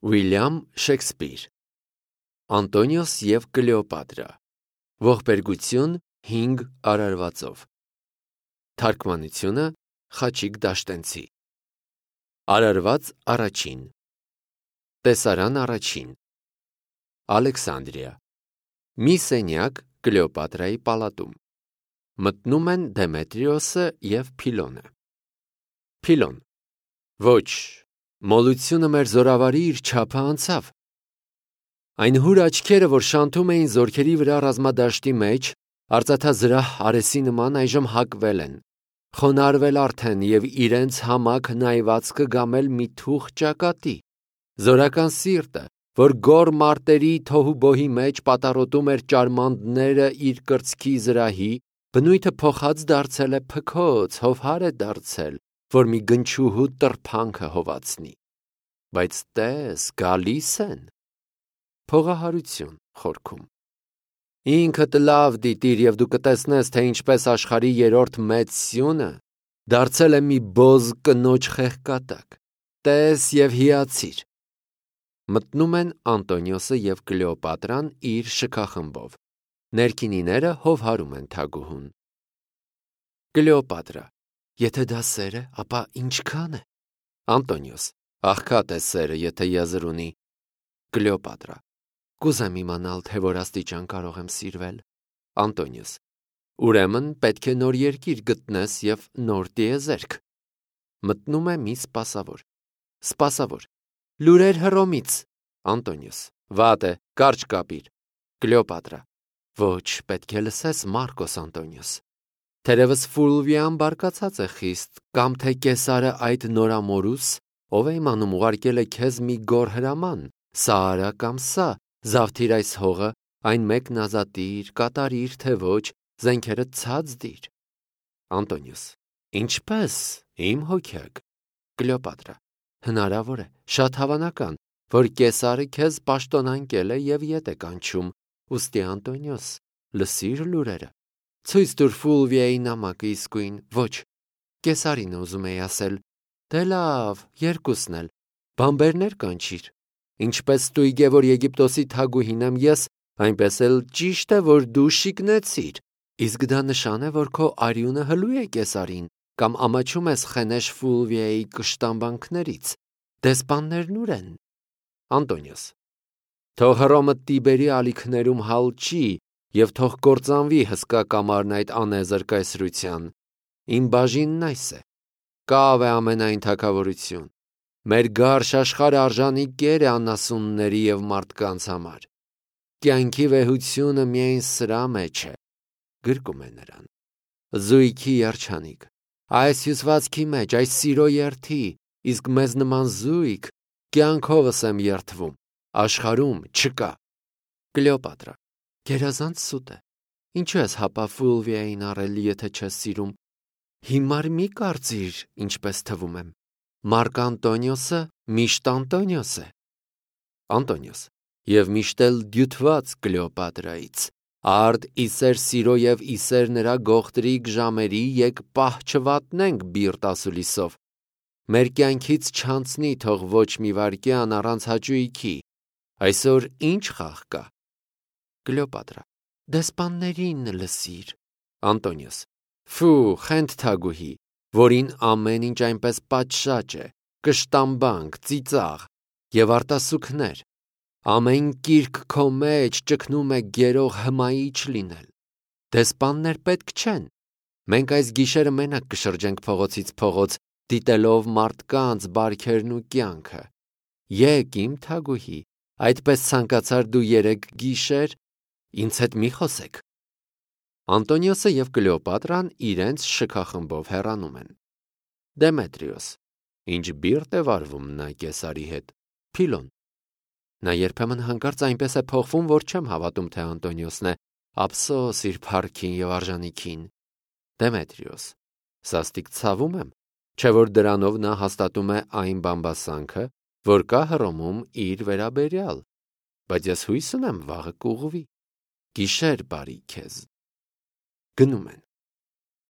Ուիլյամ Շեքսպիր Անտոնիոս և Կլեոպատրա Ողբերգություն 5 արարվածով Թարգմանությունը Խաչիկ Դաշտենցի Արարված առաջին Տեսարան առաջին Ալեքսանդրիա Մի սենյակ Կլեոպատրայի պալատում Մտնում են Դեմետրիոսը և Փիլոնը Փիլոն Ոչ, մոլությունը մեր զորավարի իր չափը անցավ Այն հուր աչքերը, որ շանթում էին զորքերի վրա ռազմադաշտի մեջ, արծաթազրահ արեսի նման այժմ հակվել են, խոնարհվել արդեն և իրենց համակ նայվածքը գամել մի թուխ ճակատի, զորական սիրտը, որ գոռ մարտերի թոհուբոհի մեջ պատառոտում էր ճարմանդները իր կրծքի զրահի, բնույթը փոխած դարձել է փքոց, հովհար է դարձել, որ մի գնչուհու տրփանքը հովացնի, բայց տես, գալիս են, փողահարություն խորքում, ինքդ լավ դիտիր և դու կտեսնես, թե ինչպես աշխարհի երրորդ մեծ սյունը դարձել է մի բոզ կնոջ խեղկատակ, տես և հիացիր, մտնում են Անտոնիոսը և Կլեոպատրան իր շքախմբով, ներքինիները հովհարում են թագուհուն, Կլեոպատրա Եթե դա սեր է, ապա ինչքան է, Անտոնիոս Աղքատ է սերը, եթե եզր ունի, Կլեոպատրա Կուզեմ իմանալ, թե որ աստիճան կարող եմ սիրվել, Անտոնիոս Ուրեմն պետք է նոր երկիր գտնես և նոր տիեզերք, մտնում է մի սպասավոր, Սպասավոր Լուրեր Հռոմից, Անտոնիոս Վատ է, կարճ կապիր, Կլեոպատրա Ոչ, պետք է լսես, Մարկոս Անտոնիոս Թերևս Ֆուլվիան բարկացած է խիստ, կամ թե Կեսարը այդ նորամորուս, ով է իմանում ուղարկել է քեզ մի գոռ հրաման, սա արա կամ սա, զավթիր այս հողը, այն մեկն ազատիր, կատարիր, թե ոչ, զենքերը ցած դիր, Անտոնիոս Ինչպես, իմ հոգյակ, Կլեոպատրա Հնարավոր է, շատ հավանական, որ Կեսարը քեզ պաշտոնանկել է և ետ է կանչում, ուստի Անտոնիոս, լսիր լուրերը Ցույց տուր Ֆուլվիայի նամակը իսկույն, ոչ, Կեսարին ուզում էի ասել, դե լավ, երկուսն էլ, բանբերներ կանչիր, ինչպես ստույգ է, որ Եգիպտոսի թագուհին եմ ես, այնպես էլ ճիշտ է, որ դու շիկնեցիր, իսկ դա նշան է, որ քո արյունը հլու է Կեսարին, կամ ամաչում ես Խենեշ Ֆուլվիայի կշտամբանքներից, դեսպաններն ուր են, Անտոնիոս Թող Հռոմը Տիբերի ալիքներում հալչի և թող կործանվի հսկա կամարն այդ անեզր կայսրության, իմ բաժինն այս է, կավ է ամենայն թագավորություն, մեր գարշ աշխարհը արժանի կեր է անասունների և մարդկանց համար, կյանքի վեհությունը միայն սրա մեջ է, գրկում է նրան, զույգի երջանիկ, այս հյուսվածքի մեջ, այս սիրո երդի, իսկ մեզ նման զույգ, կյանքովս եմ երդվում, աշխարհում չկա, Կլեոպատրա Գերազանց սուտ է, ինչու ես հապա Ֆուլվիային առել, եթե չես սիրում, հիմար մի կարծիր, ինչպես թվում եմ, Մարկ Անտոնիոսը միշտ Անտոնիոս է, Անտոնիոս և միշտ էլ դյութված Կլեոպատրայից, արդ իսեր սիրո և իսեր նրա գողտրիկ ժամերի եկ պահ չվատնենք բիրտ ասուլիսով, մեր կյանքից չանցնի թող ոչ մի վայրկյան առանց հաճույքի, այսօր ինչ խաղ կա, Կլեոպատրա Դեսպաններին լսիր, Անտոնիոս Ֆու, խենթ թագուհի, որին ամեն ինչ այնպես պատշաճ է, կշտամբանք, ծիծաղ և արտասուքներ, ամեն կիրք քո մեջ ճգնում է գերող հմայիչ լինել, դեսպաններ պետք չեն, մենք այս գիշերը մենակ կշրջենք փողոցից փողոց, դիտելով մարդկանց բարքերն ու կյանքը, եկ իմ թագուհի, այդպես ցանկացար դու երեկ գիշեր, ինձ հետ մի խոսեք, Անտոնիոսը և Կլեոպատրան իրենց շքախմբով հեռանում են, Դեմետրիոս Ինչ բիրտ է վարվում նա Կեսարի հետ, Փիլոն Նա երբեմն հանկարծ այնպես է փոխվում, որ չեմ հավատում, թե Անտոնիոսն է, ափսոս իր փառքին և արժանիքին, Դեմետրիոս Սաստիկ ցավում եմ, չէ որ դրանով նա հաստատում է այն բամբասանքը, որ կա Հռոմում իր վերաբերյալ, բայց ես հույս ունեմ վաղը կուղղվի, գիշեր բարի քեզ, գնում են